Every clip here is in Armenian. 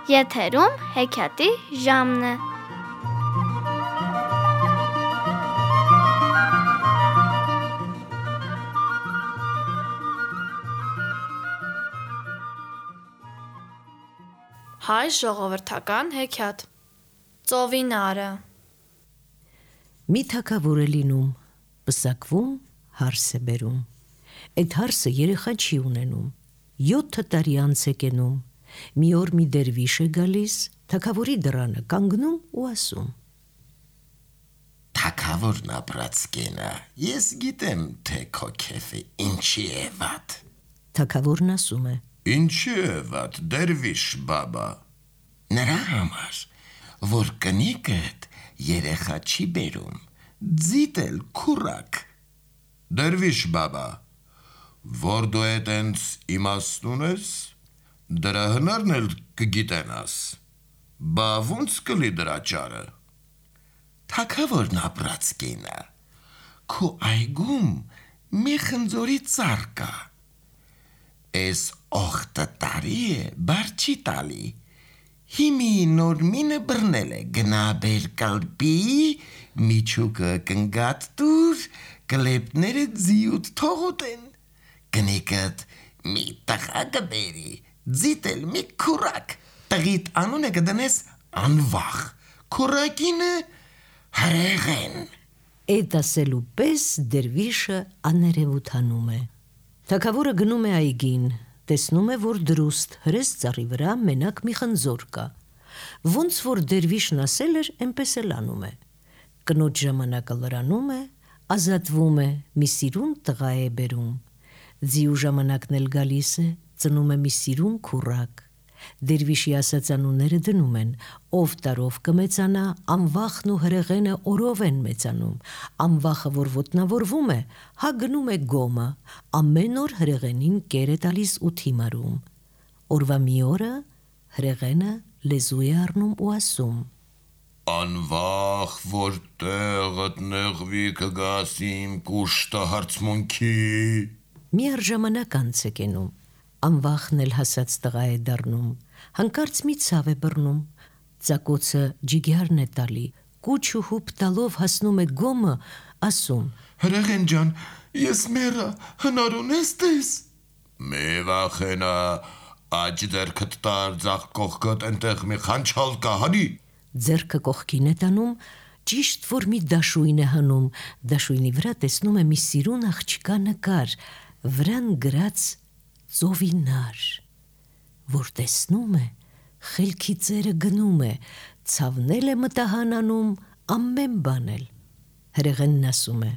Եթերում հեքիաթի ժամն է։ Հայ ժողովրդական հեքիաթ Ծովինարը։ Մի թագավոր է լինում, պսակվում, հարս է բերում։ Այդ հարսը երեխա չի ունենում, 7 տարի անց է կենում։ Մի օր մի դերվիշ է գալիս, թագավորի դռանը կանգնում ու ասում. Թագավորն ապրած կենա, ես գիտեմ, թե քո քեֆը ինչի է վատ։ Թագավորն ասում է. Ինչի է վատ, դերվիշ բաբա։ Նրա համար, որ կնիկդ երեխա չի բերում, ձիտել քուրակ։ Դերվիշ բաբա, որ դու էտենց իմաստուն ես, դրա հնարն էլ կգիտենաս, բա ոնց կլի դրա ճարը։ Թագավորն ապրած կենա, քո այգում մի խնձորի ծառ կա, էս օխտը տարի է, բար չի տալի, հիմի նոր մինը բռնել է, գնա բեր կալպի, միջուկը կնգատ տուր, կլեպները ձիուտ թողոտ են, կնիկդ մի տղա կբերի, ձիտել մի քուրակ, տղիտ անունը կդնես անվախ, քուրակինը հրեղեն։ Այդ ասելու պես դերվիշը աներևութանում է։ Թագավորը գնում է այգին, տեսնում է, որ դրուստ հրես ծառի վրա մենակ մի խնձոր կա։ Ոնց որ դերվիշն ասել էր, այնպես էլ անում է։ Կնոջ ժամանակը լրանում է, ազատվում է, մի սիրուն տղա է բերում։ Ձիու ժամանակն էլ գալիս է, ծնում է մի սիրուն քուրակ։ Դերվիշի ասած անունները դնում են, ով տարով կմեծանա, անվախն ու հրեղենը օրով են մեծանում, անվախը որ ոտնավորվում է, հա գնում է գոմը, ամեն օր հրեղենին կեր է տալիս ութի մարում։ Օրվա մի օրը հրեղենը լեզու է առնում ու ասում. Անվախ, որ տեղդ նեղվի կգաս իմ կուշտը հարցմունքի։ Մի առժամանակ անց է կենում, անվախն էլ հասած տղա է դառնում, հանկարծ մի ցավ է բռնում, ծակոցը ջիգյարն է տալի, կուչ ու հուպ տալով հասնում է գոմը, ասում. Հրեղեն ջան, ես մեռա, հնար ունես տես։ Մի վախենա, աջ ձեռքդ տար, ձախ կողքդ ընտեղ մի խանչալ կա, հանի։ Ձեռքը կողքին է տանում, ճիշտ որ մի դաշույն է հանում, դաշույնի վրա տեսնում է մի սիրուն աղջկա նկար, վրան գրած Ծովինար, որ տեսնում է, խելքի ծերը գնում է, ցավնել է մտահանանում, ամեն բանել։ Հրեղենն ասում է.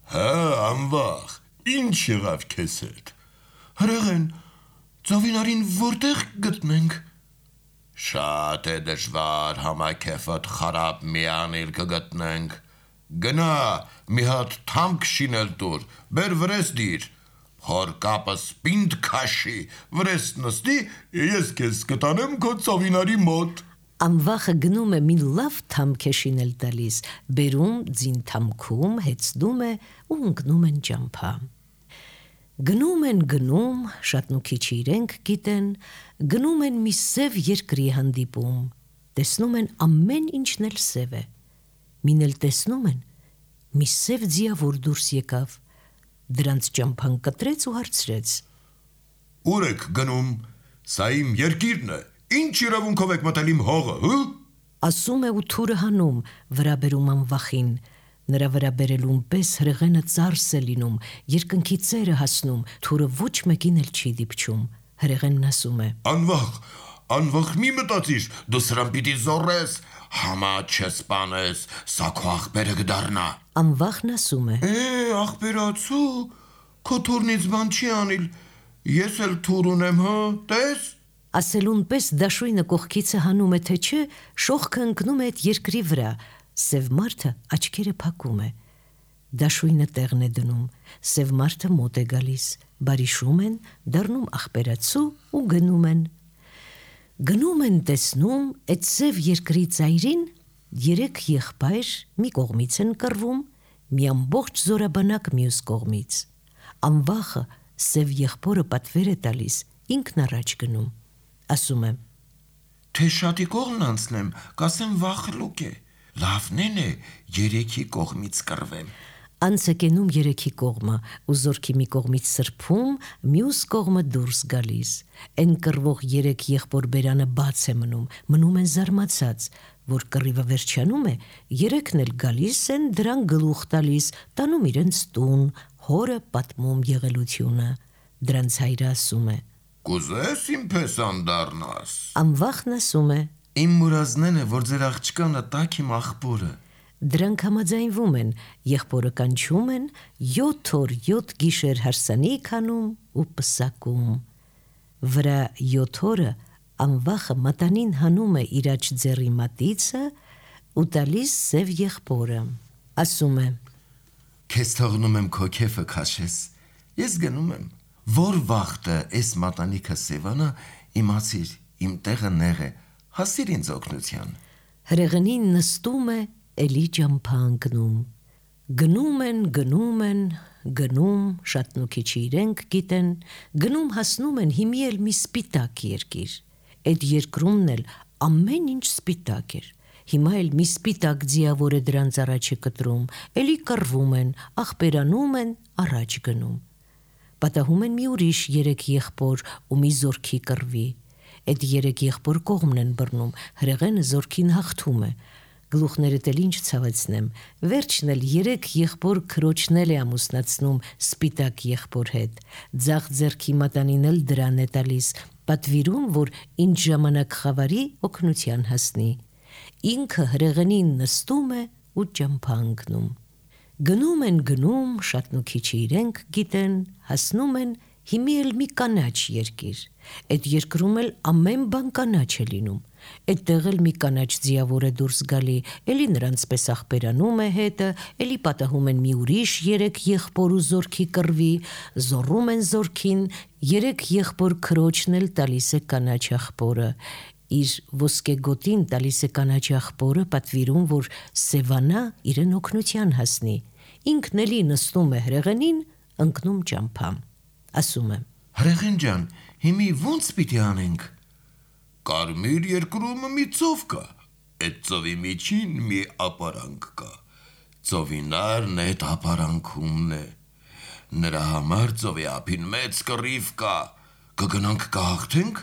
Հա, անվախ, ինչ եղավ քեզ հետ։ Հրեղեն, Ծովինարին որտեղ գտնենք։ Շատ է դժվար, համակեֆդ խարապ մի անել կգտնենք։ Գնա, մի հատ թամք շինել տուր, բեր վրես դիր, հոր կապս պինդ քաշի, վրես նստի, ես քեզ կտանեմ քո Ծովինարի մոտ։ Անվախը գնում է մի լավ թամք է շինել տալիս, բերում ձին թամքում, հեծնում է ու ընկնում են ճամփա։ Գնում են գնում, շատն ու քիչը իրենք գիտեն, գնում են մի սև երկրի հանդիպում, տեսնում են ամեն ինչն էլ սև է, մին էլ տեսնում են, մի սև ձիավոր դուրս եկավ, դրանց ճամփան կտրեց ու հարցրեց. Ուր եք գնում, սա իմ երկիրն է, ինչ իրավունքով եք մտել իմ հողը, հը։ Ասում է ու թուրը հանում, վրա բերում անվախին, նրա վրա բերելուն պես հրեղենը ծարս է լինում, երկնքի ծերը հասնում, թուրը ոչ մեկին էլ չի դիպչում, հրեղենն ասում է. Անվախ մի մտածիր, դու սրան պիտի զորես, համա չես պանես, սա քո աղբերը կդառնա։ Անվախն ասում է. Աղբերացու, քո թուրնից բան չի անիլ, ես էլ թուր ունեմ, հա, տես։ Ասելուն պես դաշույնը կողքիցը հանում է, թե չէ, շողքը ընկնում է այդ երկրի վրա, սև մարդը աչքերը փակում է, դաշույնը տեղն է դնում, սև մարդը մոտ է գալիս, բարիշում են, դառնում աղբերացու ու գնում են։ Գնում են տեսնում, այդ սև երկրի ծայրին 3 եղբայր մի կողմից են կռվում, մի ամբողջ զորաբանակ մյուս կողմից։ Անվախը սև եղբորը պատվեր է տալիս, ինքն առաջ գնում, ասում է. Թե շատի կողմն անցնեմ, կասեմ վախլուկ է։ Լավն է երեքի կողմից կռվեմ։ Անցը կենում երեքի կողմը, ու զորքի մի կողմից սրբում, մյուս կողմը դուրս գալիս։ Են կռվող երեք եղբոր բերանը բաց է մնում են զարմացած, որ կռիվը վերջանում է, երեքն էլ գալիս են դրան գլուխ տալիս, տանում իրենց տուն, հորը պատմում եղելությունը։ Դրանց հայրը ասում է. Կուզես իմ փեսան դառնաս։ Անվախն ասում է. Իմ մուրազնեն է, որ ձեր աղջկանը տակ իմ աղբորը։ Դրանք համաձայնվում են, եղբորը կանչում են, 7 օր 7 գիշեր հարսանիք անում ու պսակում։ Վրա 7 օրը անվախը մատանին հանում է իր աջ ձեռի մատիցը ու տալիս սև եղբորը։ Ասում է. Քեզ թողնում եմ քո քեֆը քաշես։ Ես գնում եմ, որ վախտը էս մատանիքը սևանա, իմացիր, իմ տեղը նեղ է, հասիր ինձ օգնության։ Հրեղենին նստում է, էլի ճամփա ընկնում։ Գնում են, շատ նոքիչի իրենք գիտեն, գնում հասնում են հիմի էլ մի սպիտակ երկիր։ Այդ երկրումն էլ ամեն ինչ սպիտակ էր։ Հիմա էլ մի սպիտակ ձիավոր է դրանց առաջը կտրում, էլի կռվում են, աղբերանում են, առաջ գնում։ Պատահում են մի ուրիշ 3 եղբոր ու մի զորքի կռվի։ Այդ 3 եղբոր կողմն են բռնում, հրեղենը զորքին հաղթում է։ Գլուխներդ էլ ինչ ցավեցնեմ, վերջն էլ 3 եղբոր քրոջն էլ է ամուսնացնում սպիտակ եղբոր հետ։ Ձախ ձեռքի մատանին էլ դրան է տալիս, պատվիրում, որ ինչ ժամանակ խավարի օգնության հասնի։ Ինքը հրեղենին նստում է ու ճամփա ընկնում։ Գնում, շատ նոքիչի իրենք գիտեն, հասնում են հիմի էլ մի կանաչ երկիր։ Այդ երկրում էլ ամեն բան կանաչ է լինում։ Այդտեղ էլ մի կանաչ ձիավոր է դուրս գալի, էլի նրանց պես աղբերանում է հետը, էլի պատահում են մի ուրիշ 3 եղբոր ու զորքի կռվի, զոռում են զորքին, 3 եղբոր քրոջն էլ տալիս է կանաչ աղբորը։ Իր ոսկե գոտին տալիս է կանաչ աղբորը, պատվիրում, որ սևանա իրեն օգնության հասնի։ Ինքն էլի նստում է հրեղենին, ընկնում ճամփամ։ Ասում է. Հրեղեն ջան, հիմի ո՞նց պիտի անենք։ Կարմիր երկրում մի ծով կա, այդ ծովի միջին մի ապարանք կա։ Ծովինարն այդ ապարանքումն է։ Նրա համար ծովի ափին մեծ կռիվ կա։ Կգնանք կհաղթենք,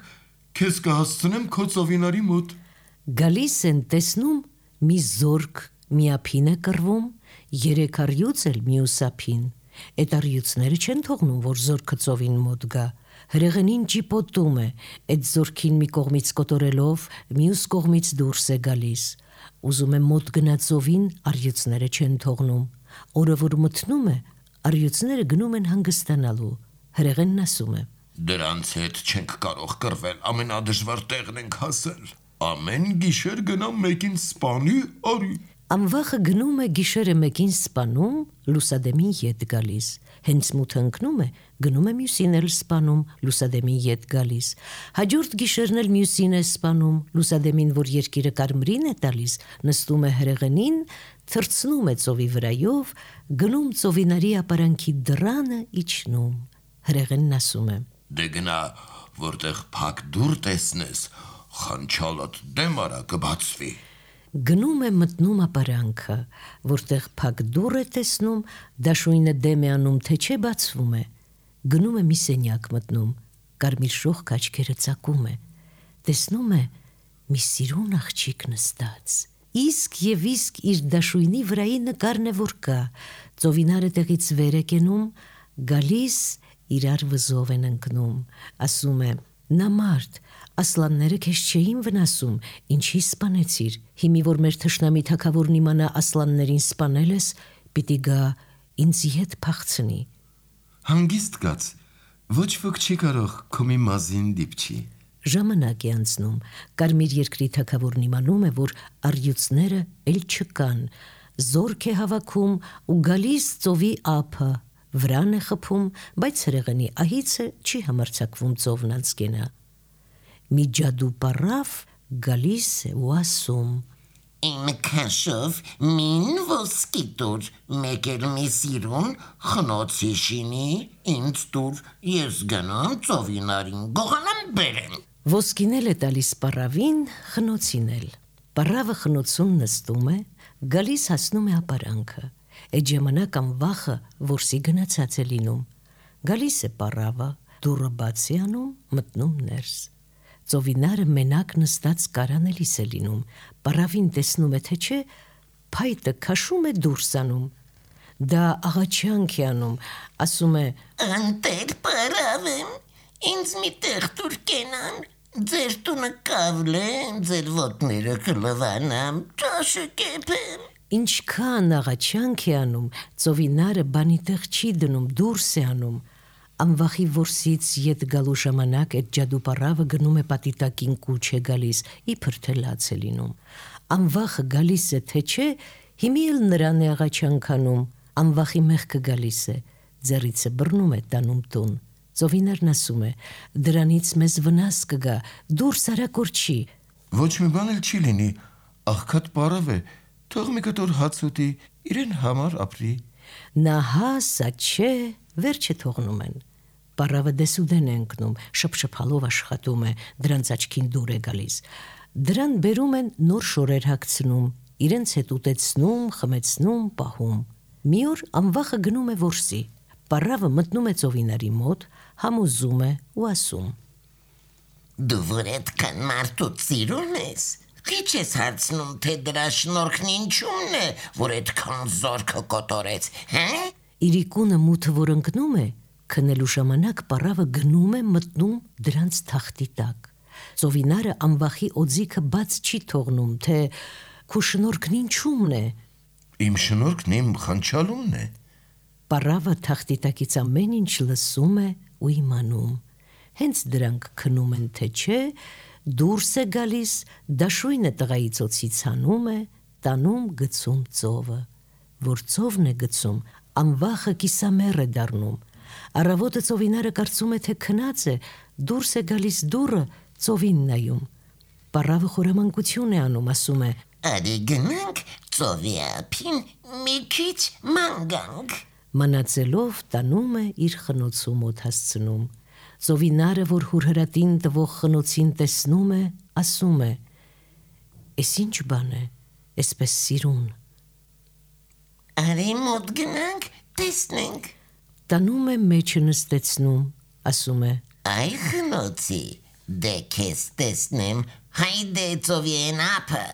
քեզ կհասցնեմ քո ծովինարի մոտ։ Գալիս են տեսնում մի զորք մի ափին է կռվում, 3 առյուծ էլ մյուս ափին։ Այդ առյուծները չեն թողնում, որ զորքը ծովին մոտ գա։ Հրեղենին ճիպոտում է, այդ զորքին մի կողմից կոտորելով, մյուս կողմից դուրս է գալիս։ Ուզում է մոտ գնա ծովին, առյուծները չեն թողնում։ Օրը որ մտնում է, առյուծները գնում են հանգստանալու։ Հրեղենն ասում է. Դրանց հետ չենք կարող կռվել, ամենադժվար տեղն ենք հասել։ Ամեն գիշեր գնամ մեկին սպանի արի։ Անվախը գնում է գիշերը մեկին սպանում, լուսադեմին ետ գալիս։ Հենց մութը ընկնում է, գնում է մյուսին էլ սպանում, լուսադեմին ետ գալիս։ Հաջորդ գիշերն էլ մյուսին է սպանում, լուսադեմին, որ երկիրը կարմրին է տալիս, նստում է հրեղենին, թռցնում է ծովի վրայով, գնում ծովինարի ապարանքի դռանը իջնում։ Հրեղենն ասում է. Դե գնա, որտեղ փակ դուռ տեսնես, խանչալդ դեմ արա կբացվի։ Գնում է մտնում ապարանքը, որտեղ փակ դուռ է տեսնում, դաշույնը դեմ է անում, թե չէ բացվում է։ Գնում է մի սենյակ մտնում, կարմիր շողք աչքերը ծակում է, տեսնում է մի սիրուն աղջիկ նստած։ Իսկ եւ իսկ իր դաշույնի վրայի նկարն է որ կա, ծովինարը տեղից վեր է կենում, գալիս իրար վզով են ընկնում, ասում է. Նա մարդ, ասլանները քեզ չէին վնասում, ինչի սպանեցիր, հիմի որ մեր թշնամի թագավորն իմանա ասլաններին սպանել ես, պիտի գա ինձ հետ փախցնի։ Հանգիստ կաց, ոչ ոք չի կարող քո մի մազին դիպչի։ Ժամանակ է անցնում, կարմիր երկրի թագավորն իմանում է, որ առյուծները էլ չկան, զորք է հավաքում ու գալիս ծովի ափը, վրան է խփում, բայց հրեղենի ահիցը չի համարձակվում ծովն անցկենա։ Մի ջադու պարավ գալիս է ու ասում. Իմ քաշով մին ոսկի տուր, մեկ էլ մի սիրուն խնոցի շինի, ինձ տուր, ես գնամ ծովինարին գողանամ բերեմ։ Ոսկինել է տալիս պարավին, խնոցին էլ։ Պարավը խնոցում նստում է, գալիս հասնում է ապարանքը։ Այդ ժամանակ անվախը որսի գնացած է լինում։ Գալիս է պարավը, դուռը բաց է անում, մտնում ներս։ Ծովինարը մենակ նստած կարանելիս է լինում։ Պարավին տեսնում է, թե չէ, փայտը քաշում է դուրս անում։ Դա աղաչանք է անում, ասում է. Անտեր պարավ եմ, ինձ մի տեղ տուր կենամ, ձեր տունը կավլե, ձեր ոտները կլվանամ, ճաշը կեպեմ։ Ինչքան աղաչանք է անում, ծովինարը բանի տեղ չի դնում, դուրս է անում։ Անվախի որսից ետ գալու ժամանակ այդ ջադուպարավը գնում է պատիտակին կուչ է գալիս, իբր թե լաց է լինում։ Անվախը գալիս է, թե չէ, հիմի էլ նրան է աղաչանքանում, անվախի մեղքը գալիս է, ձեռից է բռնում է տանում տուն։ Ծովինարն ասում է, դրանից մեզ վնաս կգա, դուրս արագ չի։ Ոչ մի բան էլ չի լինի, աղքատ պարավ է, թող մի կտոր հաց ուտի, իրեն համար ապրի։ Նա հասա չէ, վերջը թողնում են։ Պարավը դեսուդեն է ընկնում, շփշփալով աշխատում է, դրանց աչքին դուր է գալիս։ Դրան բերում են նոր շորեր հագցնում, իրենց հետ ուտեցնում, խմեցնում, պահում։ Մի օր անվախը գնում է որսի։ Պարավը մտնում է ծովինարի մոտ, համոզում է ու ասում. Դու որ այդքան մարդուց սիրուն ես, քիչ ես հարցնում, թե դրա շնորհքն ինչումն է, որ այդքան զորքը կոտորեց, հա? Իրիկունը մութը որ ընկնում է, քնելու ժամանակ պարավը գնում է մտնում դրանց թախտի տակ։ Ծովինարը անվախի օձիքը բաց չի թողնում, թե քու շնորհքն ինչումն է։ Իմ շնորհքն իմ խանչալումն է։ Պարավը թախտի տակից ամեն ինչ լսում է ու իմանում։ Հենց դրանք քնում են, թե չէ, դուրս է գալիս, դաշույնը տղայի ծոցից հանում է, տանում գցում ծովը։ Որ ծովն է գցում, անվախը կիսամեռ է դառնում։ Առավոտը ծովինարը կարծում է, թե քնած է, դուրս է գալիս դուռը, ծովին նայում։ Պարավը խորամանկություն է անում, ասում է. Արի գնանք ծովի ափին մի քիչ ման գանք։ Մանածելով տանում է իր խնոցու մոտ հասցնում։ Ծովինարը, որ հուրհրատին տվող խնոցին տեսնում է, ասում է. «Էս ինչ բան է, էսպես սիրուն»։ Արի մոտ գնանք, տեսնենք։ Տանում է մեջը նստեցնում, ասում է. Այ խնոցի, դե քեզ տեսնեմ, հայդե ծովի են ափը։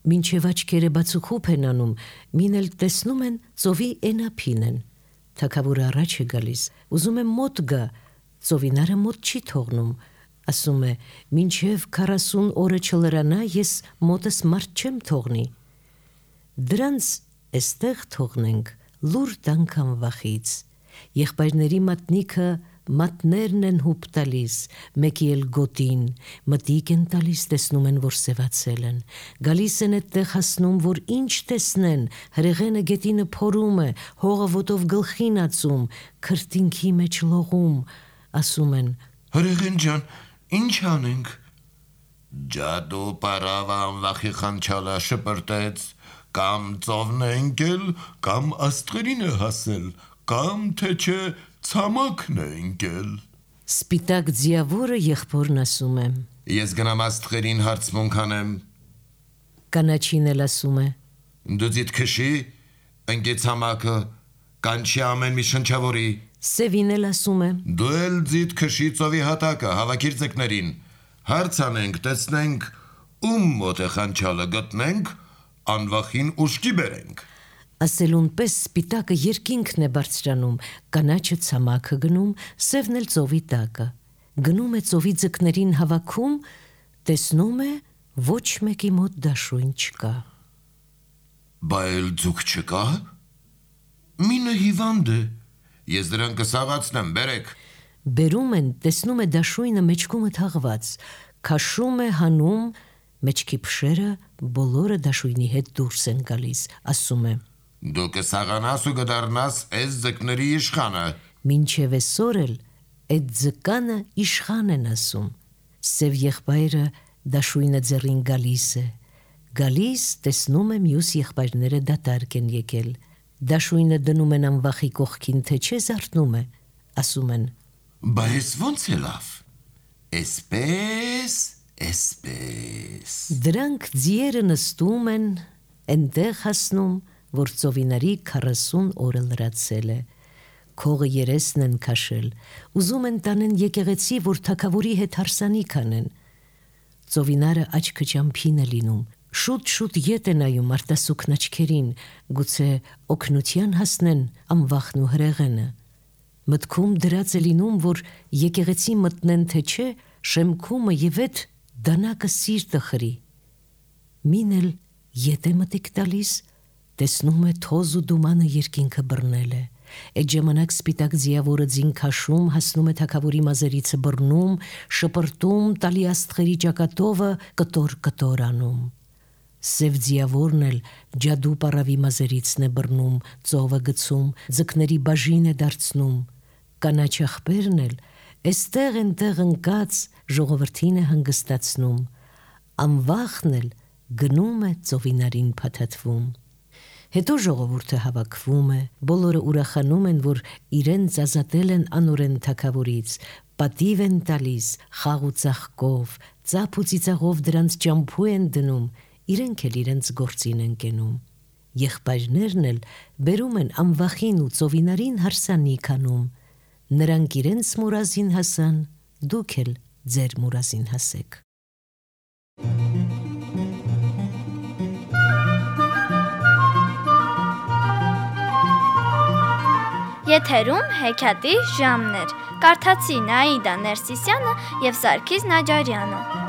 Մինչև աչքերը բացուխուփ են անում, մին էլ տեսնում են ծովի էնափին են։ Թագավորը առաջ է գալիս, ուզում է մոտ գա, ծովինարը մոտ չի թողնում, ասում է. «Մինչև 40 օրը չլրանա, ես մոտս մարդ չեմ թողնի»։ Դրանց էստեղ թողնենք, լուր տանք անվախից։ Եղբայրների մատնիքը մատներն են հուպ տալիս, մեկի էլ գոտին, մտիկ են տալիս, տեսնում են, որ սևացել են։ Գալիս են այդտեղ հասնում, որ ինչ տեսնեն, հրեղենը գետինը փորում է, հողը ոտով գլխին ածում, քրտինքի մեջ լողում, ասում են. Հրեղեն ջան, ինչ անենք։ Ջադու պարավը անվախի խանչալա շպրտեց, կամ ծովն է ընկել, կամ աստղերին է հասել, կամ թե չէ ցամաքն է ընկել։ Սպիտակ ձիավորը եղբորն ասում է. Ես գնամ աստղերին հարցմունք անեմ։ Կանաչին էլ ասում է. Դու ձիթ քշի, ընկե ցամաքը, կանչի ամեն մի շնչավորի։ Սևին էլ ասում է. Դու էլ ձիթ քշի ծովի հատակը, հավաքիր ձկներին։ Հարց անենք, տեսնենք, ում մոտ է խանչալը, գտնենք, անվախին ուշքի բերենք։ Ասելուն պես սպիտակը երկինքն է բարձրանում, կանաչը ցամաքը գնում, սևն էլ ծովի տակը։ Գնում է ծովի ձկներին հավաքում, տեսնում է, ոչ մեկի մոտ դաշույն չկա։ Բա էլ ձուկ չկա։ Մինը հիվանդ է։ Ես դրան կսաղացնեմ, բերեք։ Բերում են, տեսնում է դաշույնը մեջքումը թաղված, քաշում է հանում, մեջքի փշերը բոլորը դաշույնի հետ դուրս են գալիս, ասում է. Դու կսաղանաս ու կդառնաս այս ձկների իշխանը։ Մինչև այսօր էլ այդ ձկանը իշխան են ասում։ Սև եղբայրը դաշույնը ձեռին գալիս է։ Գալիս, տեսնում է մյուս եղբայրները դատարկ են եկել։ Դաշույնը դնում են անվախի կողքին, թե չէ զարթնում է, ասում են. Բա ես ո՞նց է լավ։ Էսպես։ Դրանք ձիերը նստում են, այնտեղ հասնում, որ ծովինարի 40 օրը լրացել է։ Քողը երեսն են քաշել, ուզում են տանեն եկեղեցի, որ թագավորի հետ հարսանիք անեն։ Ծովինարը աչքը ճամփին է լինում, շուտ ետ է նայում արտասուքն աչքերին, գուցե օգնության հասնեն անվախն ու հրեղենը։ Մտքում դրած է լինում, որ եկեղեցի մտնեն թե չէ, շեմքումը եւ այդ դանակը սիրտը խրի։ Մին էլ ետ է մտիկ տալիս, տեսնում է թոզ ու դումանը երկինքը բռնել է։ Այդ ժամանակ սպիտակ ձիավորը ձին քաշում, հասնում է թագավորի մազերիցը բռնում, շպրտում, տալի աստղերի ճակատովը կտոր անում։ Սև ձիավորն էլ ջադու պարավի մազերիցն է բռնում, ծովը գցում, ձկների բաժին է դարձնում։ Կանաչ աղբերն էլ էստեղ ընտեղ ընկած ժողովրդին է հանգստացնում։ Անվախն էլ գնում է ծովինարին փաթաթվում։ Հետո ժողովուրդը հավաքվում է, բոլորը ուրախանում են, որ իրենց ազատել են անօրեն թագավորից, պատիվ են տալիս խաղ ու ծաղկով, ծափ ու ծիծաղով դրանց ճամփու են դնում, իրենք էլ իրենց գործին են կենում։ Եղբայրներն էլ բերում են անվախին ու ծովինարին հարսանիք անում։ Նրանք իրենց մուրազին հասան, դուք էլ ձեր մուրազին հասեք։ Եթերում հեքիաթի ժամն էր։ Կարդացին Աիդա Ներսիսյանը եւ Սարգիս Նաջարյանը։